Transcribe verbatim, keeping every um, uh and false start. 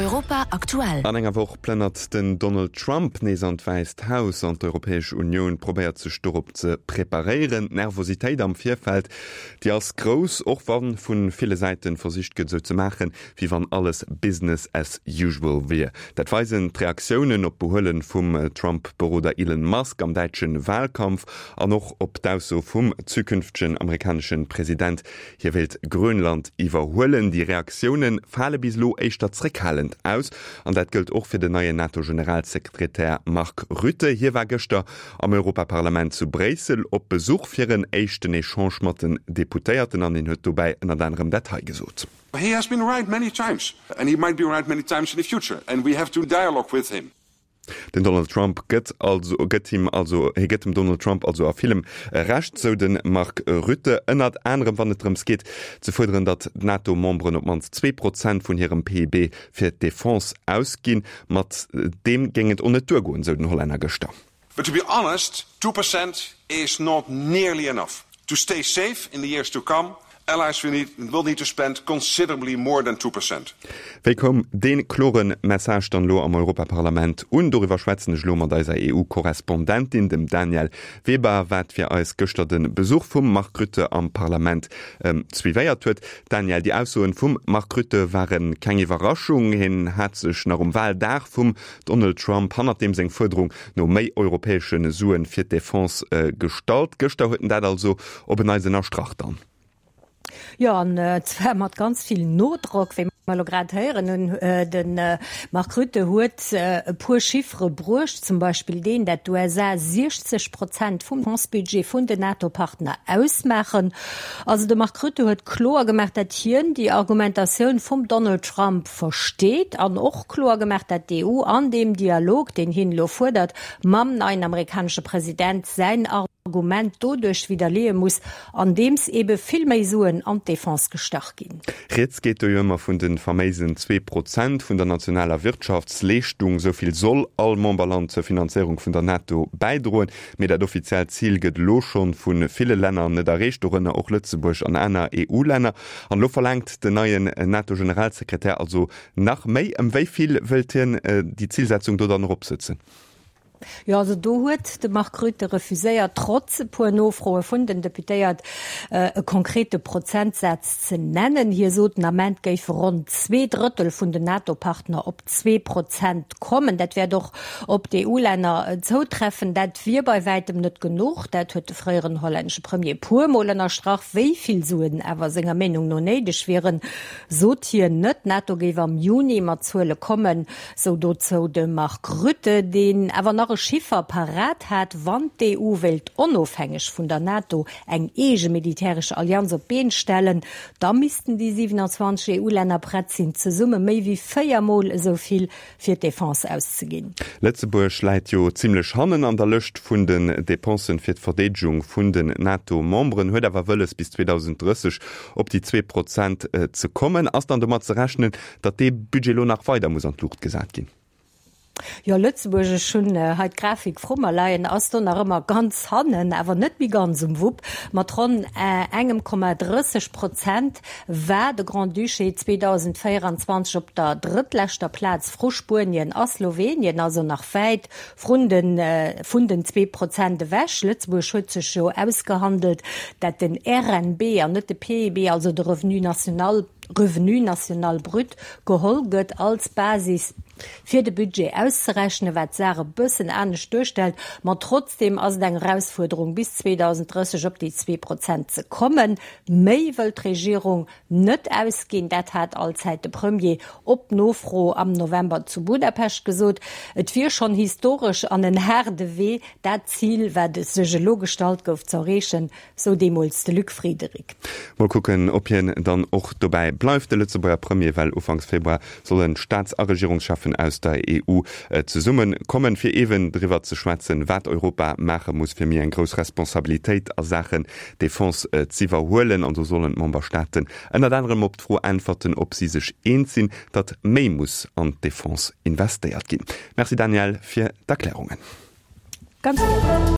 Europa aktuell. An enger Woch plënnert den Donald Trump nees an d'Wäisst Haus an d'Europäesch Unioun probéiert sech dorop ze preparéieren. D'Nervositéit am Virfeld, déi ass grouss, och wa vu ville Säite versicht gëtt, esou ze maachen, wéi wann alles Business as usual wier. Dat weisen d'Reaktiounen op d'Behuele vum Trump-Beroder Elon Musk am däitsche Walkampf an och op d'Ausso vum zukünftegen amerikanesche President, hie wéilt Grönland iwwerhuelen. Déi Reaktioune fale bis elo éischter zréckhalend aus an dat gëllt och fir den neien NATO-Generalsekretär Mark Rutte. Hie war gëschter am Europaparlament zu Bréissel op Besuch fir en éischten Echange mat den Deputéierten an hien huet dobäi ënnert anerem dat hei gesot. He has been right many times and he might be right many times in the future and we have to dialogue with him. Den Donald Trump gëtt also gëtt him also hie gëtt dem Donald Trump also a villem Recht, sou de Mark Rutte, ënnert anerem wann et drëms geet ze fuerderen, datt d'NATO-Memberen op d'mannst zwee Prozent vun hirem P I B fir d'Defense ausginn. Mat deem géing et och net duergoen, sou den Hollänner gëschter. But to be honest, two percent is not nearly enough. To stay safe in the years to come, allies will need, will need to spend considerably more than two percent. Wéi koum dee klore Message dann elo am Europaparlament un? Doriwwer schwätzen ech elo mat eiser E U-Korrespondentin, dem Danièle Weber, wat fir eis gëschter de Besuch vum Mark Rutte am Parlament suivéiert huet. Danièle, déi Aussoen vum Mark Rutte ware keng Iwwerraschung. Hien hat sech nach um Waldag vum Donald Trump hannert deem seng Fuerderung no méi europäesche Suen fir d'Defense gestallt. Gëschter huet en dat also op en Neits ënnerstrach dann. Jo, an zwar mat ganz vill Nodrock, wéi mer elo grad héieren hunn. De Mark Rutte huet e puer Chiffere bruecht, zum Beispill deen, dat d'U S A siechzeg Prozent vum Defense-Budget vun den NATO-Partner ausmaachen. Also de Mark Rutte huet kloer gemaach, dat hien déi Argumentatioun vum Donald Trump versteet an och kloer gemaach, dat d'E U an deem Dialog, deen hien elo fuerdert, mam neien amerikanesche President säin Argument doduerch widderleeë muss, andeems ebe vill méi Suen an d'Defense gestach ginn. Rieds geet do jo ëmmer vun de faméisen zwee Prozent vun der nationaler Wirtschaftsleeschtung. Esou vill soll all Memberland zur Finanzéierung vun der NATO bäidroen. Mee dat offiziellt Zil gëtt elo schonn vu ville Länner net erreecht, dorënner och Lëtzebuerg an aner E U-Länner. An elo verlaangt den neien NATO-Generalsekretär also nach méi. Ëm wéi vill wëllt hien déi Zilsetzung do dann eropsetzen? Jo, also do huet de Mark Rutte refuséiert, trotz e puer Nofroe vun den Deputéiert, e konkrete Prozentsaz ze nennen. Hie sot, den Ament géife ronn zwee Drëttel vun den NATO-Partner op zwee Prozent kommen. Dat wäert och op d'E U-Länner zoutreffen. Dat wier bei wäitem net genuch, dat huet de fréieren hollännesche Premier e puer Mol ënnerstrach. Wéi vill Suen awer senger Meenung no néideg wieren, sot hien net. D'NATO géif am Juni mat Zuele kommen, sou dozou de Mark Rutte, deen awer nach e Chiffer parat hat, wann d'E U wéilt onofhängeg vun der NATO eng eege militäresch Allianz op d'Been stellen, da missten déi siewenundzwanzeg E U-Länner prett sinn, zesumme méi wéi véier Mol esou vill fir d'Defense auszeginn. Lëtzebuerg läit jo zimmlech hannen an der Lëscht vun den Depensen fir d'Verdeedegung vun den NATO-Memberen, huet awer wëlles bis zweedausenddrësseg op déi zwee Prozent ze kommen. Ass dann domat ze rechnen, datt dee Budget elo nach weider muss an d'Luucht gesat ginn? Jo, Lëtzebuerg, ech hunn hei d'Grafik vru mer leien, ass do nach ëmmer ganz hannen, awer net méi ganz um Wupp. Mat ronn engem Komma drësseg Prozent war de Grand-Duché zweedausendvéierundzwanzeg op der drëttleschter Plaz vru Spuenien a Slowenien, also nach wäit vrun den, vun den zwee Prozent ewech. Lëtzebuerg huet sech jo ausgehandelt, dat den R N B an net de P I B, also de Revenu national, Revenu national brut, geholl gëtt als Basis fir de Budget auszerechnen, wat d'Saach e bëssen anescht duerstellt. Ma trotzdeem ass et eng Erausfuerderung, bis zweedausendrësseg op déi zwee Prozent ze kommen. Méi wëll d'Regierung net ausginn, dat hat allzäit de Premier op Nofro am November zu Budapest gesot. Et wier schonn historesch an en haarde Wee, dat Zil, wat sech elo gestallt gouf, ze erreechen, sou deemools de Luc Friederich. Mol kucken, ob hien dann och dobäi bleift, de Lëtzebuerger Premier, well ufanks Februar sollen d'Staats a Regierungscheffen aus der E U zesumme kommen, fir eeben driwwer ze schwätzen, wat Europa maache muss, fir méi eng grouss Responsabilitéit a Saachen Defense z'iwwerhuelen. An do sollen d'Memberstaaten ënnert anerem op d'Fro äntwerten, ob si sech eens sinn, datt méi muss an d'Defense investéiert ginn. Merci Danièle fir d'Erklärungen. Ganz gär.